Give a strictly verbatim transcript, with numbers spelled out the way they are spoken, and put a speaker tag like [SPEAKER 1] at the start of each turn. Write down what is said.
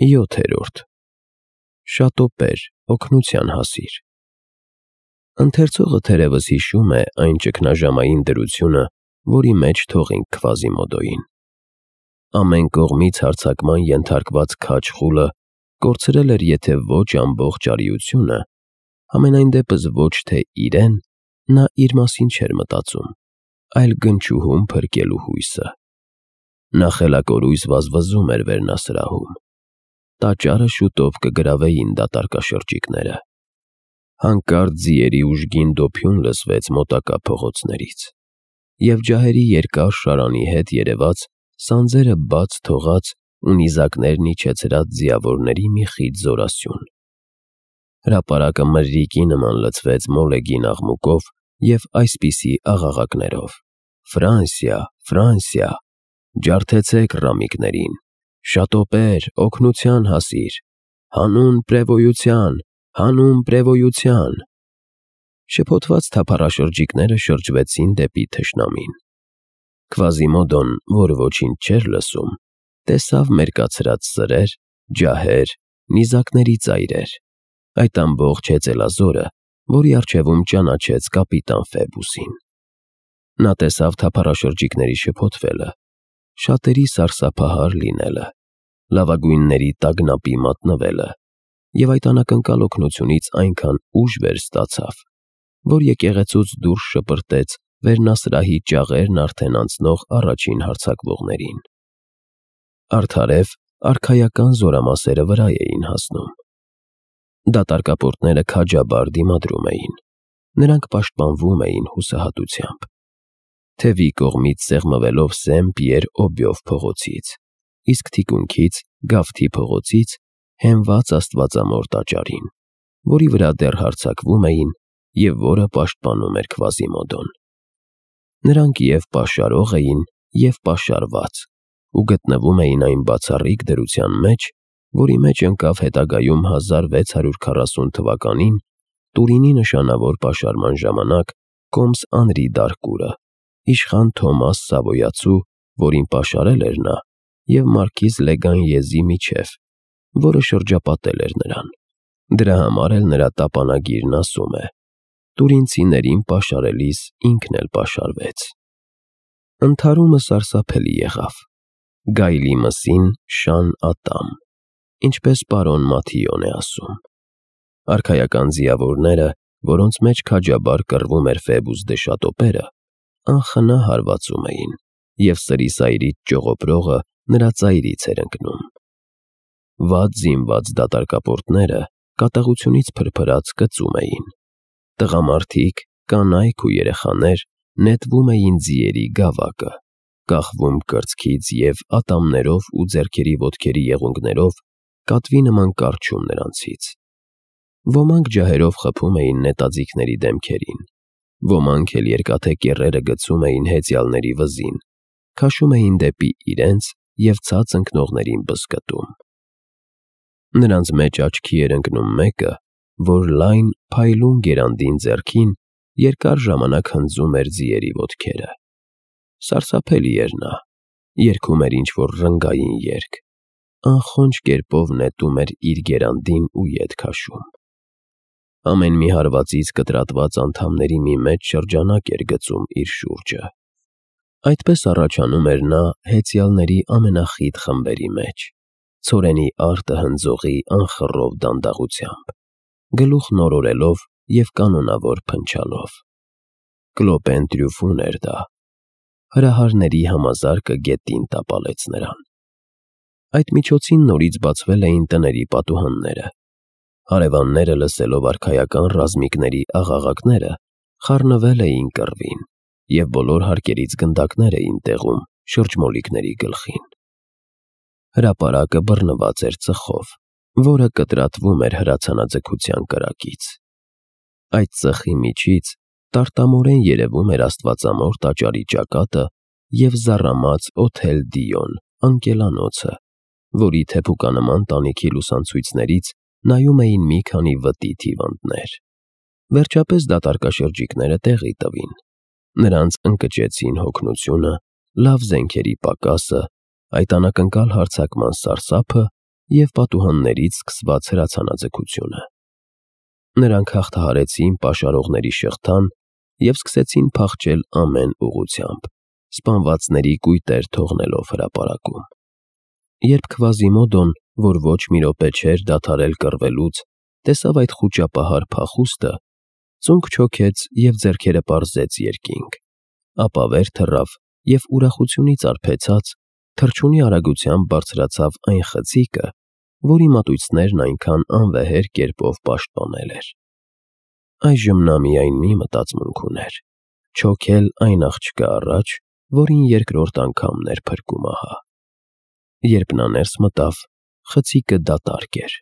[SPEAKER 1] յոթերորդ Շատոպեր, օգնության հասիր։ Ընթերցողը թերևս հիշում է այն ճգնաժամային դրությունը, որի մեջ թողինք Քվազիմոդոյին։ Ամեն կողմից հարձակման ենթարկված քաջ խուլը կորցրել էր եթե ոչ ամբողջ արիությունը, համենայն դեպս ոչ թե իրեն, նա իր մասին չէր մտածում, այլ գնչուհուն փրկելու հույսը։ Նա խելակորույս վազվզում էր վերնասրահում։ Տաճարը շուտով կգրավեին դատարկաշրջիկները։ Հանկարծ ձիերի ուժգին դոփյուն լսվեց մոտակա փողոցներից, և ջահերի երկար շարանի հետ երևաց սանձերը բաց թողած ու նիզակներն իջեցրած ձիավորների մի խիտ զորասյուն։ Հրապարակը մրրիկի նման լցվեց մոլեգին աղմուկով և այսպիսի աղաղակներով. «Ֆրանսիա, Ֆրանսիա, ջարդեցեք ռամիկներին, շատոպեր, օգնության հասիր, հանուն պրևոյության, հանուն պրևոյության»։ Շփոթված թափառաշրջիկները շրջվեցին դեպի թշնամին։ Քվազիմոդոն, որ ոչինչ չէր լսում, տեսավ մերկացրած սրեր, ջահեր, նիզակների ծայրեր, այդ ամբողջ հեծելազորը, որի առջևում ճանաչեց կապիտան Ֆեբուսին։ Նա տեսավ թափառաշրջիկների շփոթվելը, շատերի սարսափահար լինելը, լավագույնների տագնապի մատնվելը և այդ անակնկալ օգնությունից այնքան ուժ վեր ստացավ, որ եկեղեցուց դուրս շպրտեց վերնասրահի ճաղերն արդեն անցնող առաջին հարձակվողներին։ Արդարև արքայական զորամասերը վրա էին հասնում։ Դատարկապորտները քաջաբար դիմադրում էին, նրանք պաշտպանվում էին հուսահատությամբ։ Թևի կողմից սեղմվելով Սեն-Պիեր Օբյով փողոցից, իսկ թիկունքից Գավթի փողոցից հենված Աստվածամոր տաճարին, որի վրա դեռ հարձակվում էին և որը պաշտպանում էր Քվազիմոդոն։ Նրանք և պաշարող էին, և պաշարված, ու գտնվում էին այն բացառիկ դրության մեջ, որի մեջ ընկավ հետագայում հազար վեց հարյուր քառասուն թվականին Տուրինի նշանավոր պաշարման ժամանակ Կոմս Անրի Դարկուրը, իշխան Թոմաս Սավոյացու, որին պաշարել էր նա, և մարքիզ Լեգանյեզի միջև, որը շրջապատել էր նրան։ Դրա համար էլ նրա տապանագիրն ասում է. «Տուրինցիներին պաշարելիս ինքն էլ պաշարվեց»։ Ընդհարումը սարսափելի եղավ։ Գայլի մսին շան ատամ, ինչպես պարոն Մաթիոն է ասում։ Արքայական ձիավորները, որոնց մեջ քաջաբար կռվում էր Ֆեբուս դե Շատոպերը, անխնա հարվածում էին, և սրիսայրից ճողոպրողը նրա ծայրից էր ընկնում։ Վատ զինված դատարկապորտները կատաղությունից փրփրած կծում էին։ Տղամարդիկ, կանայք ու երեխաներ նետվում էին ձիերի գավակը, կախվում կրծքից և ատամներով ու ձեռքերի ոտքերի եղունգներով կատվի նման կառչում նրանցից։ Ոմանք ջահերով խփում էին նետաձիգների դեմքերին, ոմանք էլ երկաթե կեռերը գցում էին հեծյալների վզին, քաշում էին դեպի իրենց և ցած ընկնողներին բզկտում։ Նրանց մեջ աչքի էր ընկնում մեկը, որ լայն, փայլուն գերանդին ձեռքին երկար ժամանակ հնձում էր ձիերի ոտքերը։ Սարսափելի էր նա, երգում էր ինչ-որ ռնգային երգ, անխոնջ կերպով նետում էր իր գերանդին ու ետ քաշում։ Ամեն մի հարվածից կտրատված անդամների մի մեծ շրջանակ էր գծում իր շուրջը։ Այդպես առաջանում էր նա հեծյալների ամենախիտ խմբերի մեջ, ցորենի արտը հնձողի անխռով դանդաղությամբ, գլուխն օրորելով և կանոնավոր փնչալով։ Կլոպեն Տրյուֆուն էր դա։ Հրահարների համազարկը գետին տապալեց նրան։ Այդ միջոցին նորից բացվել էին տների պատուհանները։ Հարևանները լսելով արքայական ռազմիկների աղաղակները, խառնվել էին կռվին, և բոլոր հարկերից գնդակներ էին տեղում շրջմոլիկների գլխին։ Հրապարակը բռնված էր ծխով, որը կտրատվում էր հրացանաձգության կրակից։ Այդ ծխի միջից տարտամորեն երևում էր Աստվածամոր տաճարի ճակատը և զառամած Օթել Դիոն անկելանոցը, որի թեփուկանման տանիքի լուսանցույցներից նայում էին մի քանի վտիթ հիվանդներ։ Վերջապես դատարկաշրջիկները տեղի տվին։ Նրանց ընկճեցին հոգնությունը, լավ զենքերի պակասը, այդ անակնկալ հարձակման սարսափը և պատուհաններից սկսված հրացանաձգությունը։ Նրանք հաղթահարեցին պաշարողների շղթան և սկսեցին փախչել ամեն ուղղությամբ, սպանվածների կույտեր թողնելով հրապարակում։ Երբ Քվազիմոդոն, որ ոչ մի րոպե չէր դադարել կռվելուց, տեսավ այդ խուճապահար փախուստը, ծունկ չոքեց և ձեռքերը պարզեց երկինք, ապա վեր թռավ և ուրախությունից արբեցած թռչունի արագությամբ բարձրացավ այն խցիկը, որի մատույցներն այնքան անվեհեր կերպով պաշտպանել էր։ Այժմ նա միայն մի մտածմունք ուներ՝ չոքել այն աղջկա առաջ, որին երկրորդ անգամն էր փրկում ահա։ Երբ նա ներս մտավ, խցիկը դատարկ էր։